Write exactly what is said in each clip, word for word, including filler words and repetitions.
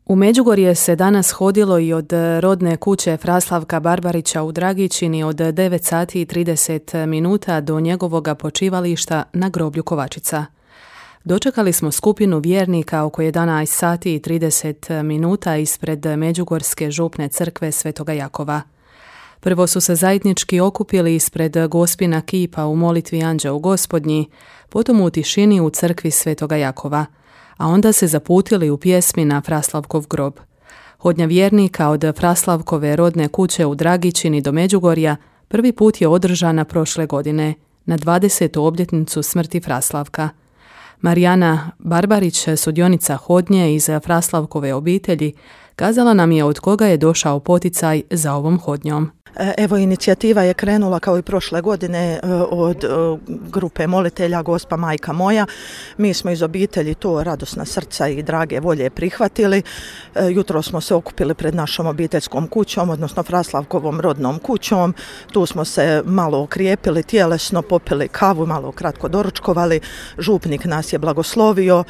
U Međugorje se danas hodilo i od rodne kuće Fraslavka Barbarića u Dragičini od devet sati i trideset minuta do njegovoga počivališta na groblju Kovačica. Dočekali smo skupinu vjernika oko jedanaest sati i trideset minuta ispred Međugorske župne crkve Svetoga Jakova. Prvo su se zajednički okupili ispred Gospina kipa u molitvi Anđeo Gospodnji, potom u tišini u crkvi Svetoga Jakova, a onda se zaputili u pjesmi na Fraslavkov grob. Hodnja vjernika od Fraslavkove rodne kuće u Dragičini do Međugorja prvi put je održana prošle godine, na dvadesetu obljetnicu smrti Fraslavka. Marijana Barbarić, sudionica hodnje iz Fraslavkove obitelji, kazala nam je od koga je došao poticaj za ovom hodnjom. Evo, inicijativa je krenula kao i prošle godine od grupe molitelja Gospa Majka moja. Mi smo iz obitelji to radosna srca i drage volje prihvatili. Jutro smo se okupili pred našom obiteljskom kućom, odnosno Fraslavkovom rodnom kućom. Tu smo se malo okrijepili tjelesno, popili kavu, malo kratko doručkovali. Župnik nas je blagoslovio,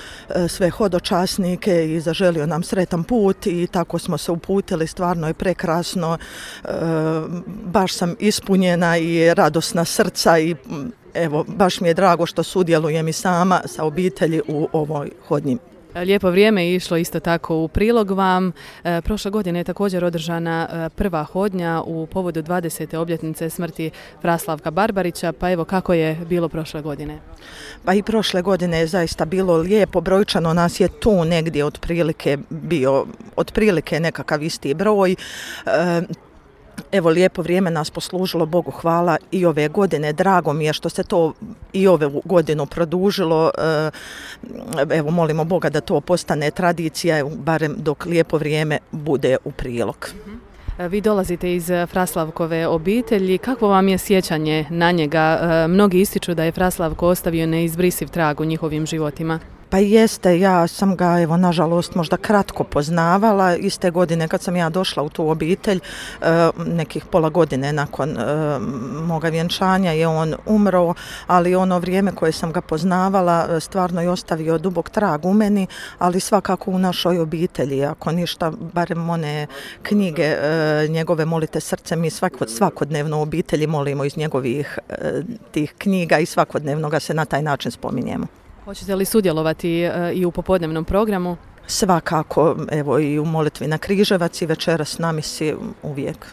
sve hodočasnike, i zaželio nam sretan put i tako smo se uputili. Stvarno je prekrasno. Baš sam ispunjena i radosna srca i evo, baš mi je drago što sudjelujem i sama sa obitelji u ovoj hodnji. Lijepo vrijeme je išlo isto tako u prilog vam. E, prošle godine je također održana e, prva hodnja u povodu dvadesete obljetnice smrti Fraslavka Barbarića, pa evo kako je bilo prošle godine? Pa i prošle godine je zaista bilo lijepo, brojčano nas je tu negdje otprilike bio, otprilike nekakav isti broj. E, Evo, lijepo vrijeme nas poslužilo, Bogu hvala, i ove godine. Drago mi je što se to i ove godinu produžilo. Evo, molimo Boga da to postane tradicija, barem dok lijepo vrijeme bude u prilog. Vi dolazite iz Fraslavkove obitelji. Kakvo vam je sjećanje na njega? Mnogi ističu da je Fraslavko ostavio neizbrisiv trag u njihovim životima. Pa jeste, ja sam ga, evo, nažalost, možda kratko poznavala. Iste godine kad sam ja došla u tu obitelj, nekih pola godine nakon moga vjenčanja je on umro, ali ono vrijeme koje sam ga poznavala stvarno je ostavio dubok trag u meni, ali svakako u našoj obitelji. Ako ništa, barem one knjige njegove Molite srce, mi svakodnevno u obitelji molimo iz njegovih tih knjiga i svakodnevno ga se na taj način spominjemo. Hoćete li sudjelovati e, i u popodnevnom programu? Svakako, evo, i u molitvi na Križevac i večeras na misi uvijek.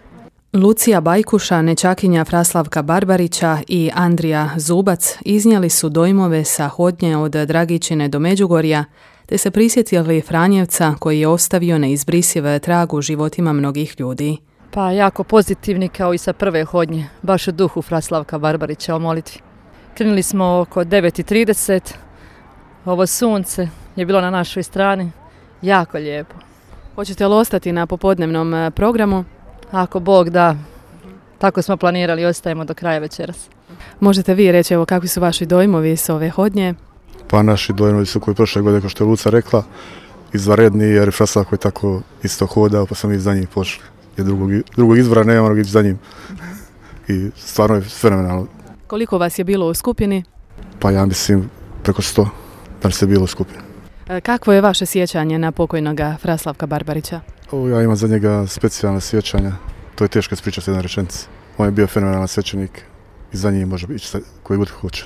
Lucija Bajkuša, nećakinja Fraslavka Barbarića, i Andrija Zubac iznijeli su dojmove sa hodnje od Dragičine do Međugorja, te se prisjetili Franjevca koji je ostavio neizbrisiv trag u životima mnogih ljudi. Pa jako pozitivni kao i sa prve hodnje, baš u duhu Fraslavka Barbarića o molitvi. Krenuli smo oko devet i trideset. Ovo sunce je bilo na našoj strani, jako lijepo. Hoćete li ostati na popodnevnom programu? Ako Bog da, tako smo planirali, ostajemo do kraja večeras. Možete vi reći, evo, kakvi su vaši dojmovi s ove hodnje? Pa naši dojmovi su koji prošle godine, kao što je Luca rekla, izvanredni, jer Fraslavko je tako isto hodao, pa smo i za njim pošli. Jer drugog, drugog izbora nema, moramo ići za njim. I stvarno je fenomenalno. Koliko vas je bilo u skupini? Pa ja mislim preko sto. Da li se bilo u skupini. Kakvo je vaše sjećanje na pokojnoga Fraslavka Barbarića? O, ja imam za njega specijalne sjećanja. To je teško ispričati jedna rečenica. On je bio fenomenalan svećenik i za njim može ići koji god hoće.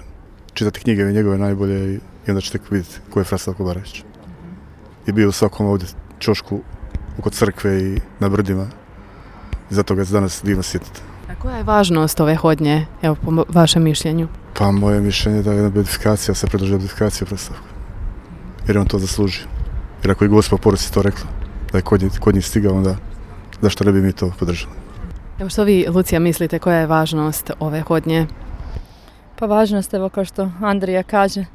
Čitati knjige njegove najbolje i onda ćete vidjeti ko je Fraslavko Barbarić. I bio u svakom ovdje ćošku oko crkve i na brdima. I zato ga je danas divno sjetiti. A koja je važnost ove hodnje, evo, po vašem mišljenju? Pa moje mišljenje je da je jedna beatifikacija, se predloži beatifikacija Fraslavka. Jer on to zasluži. Jer ako je Gospa poruci to rekla, da je kod njih, kod njih stigao, onda zašto ne bi mi to podržali? Evo, što vi, Lucija, mislite, koja je važnost ove hodnje? Pa važnost, evo, kao što Andrija kaže,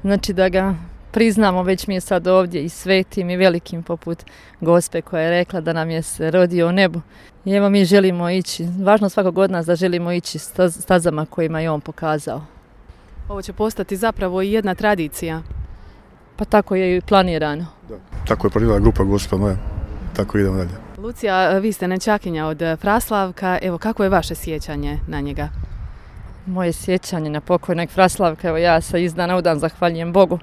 znači da ga priznamo, već mi je sad ovdje i svetim i velikim poput Gospe koja je rekla da nam je se rodio u nebu. I evo, mi želimo ići, važno svakog od nas da želimo ići stazama kojima je on pokazao. Ovo će postati zapravo i jedna tradicija. Pa tako je i planirano. Da. Tako je planirala grupa Gospa moja, tako idemo dalje. Lucija, vi ste nećakinja od Fraslavka, evo, kako je vaše sjećanje na njega? Moje sjećanje na pokojnog Fraslavka, evo, ja se iz dana u dan zahvaljujem Bogu.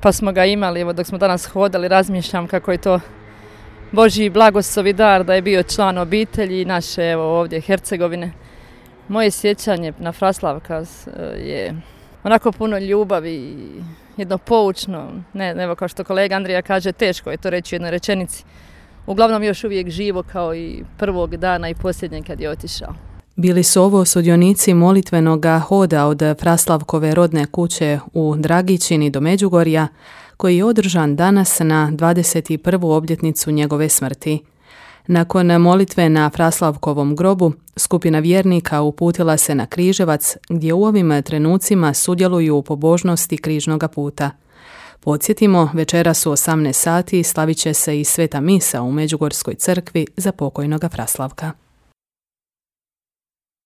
Pa smo ga imali, evo, dok smo danas hodali, razmišljam kako je to Božji blagoslovi dar da je bio član obitelji naše evo ovdje Hercegovine. Moje sjećanje na Fraslavka je onako puno ljubavi i jedno poučno, ne, evo kao što kolega Andrija kaže, teško je to reći u jednoj rečenici. Uglavnom još uvijek živo kao i prvog dana i posljednjeg kad je otišao. Bili su ovo sudionici molitvenoga hoda od Fraslavkove rodne kuće u Dragičini do Međugorja, koji je održan danas na dvadeset prvu obljetnicu njegove smrti. Nakon molitve na Fraslavkovom grobu, skupina vjernika uputila se na Križevac, gdje u ovim trenucima sudjeluju u pobožnosti križnoga puta. Podsjetimo, večeras u osamnaest sati slavit će se i sveta misa u Međugorskoj crkvi za pokojnoga Fraslavka.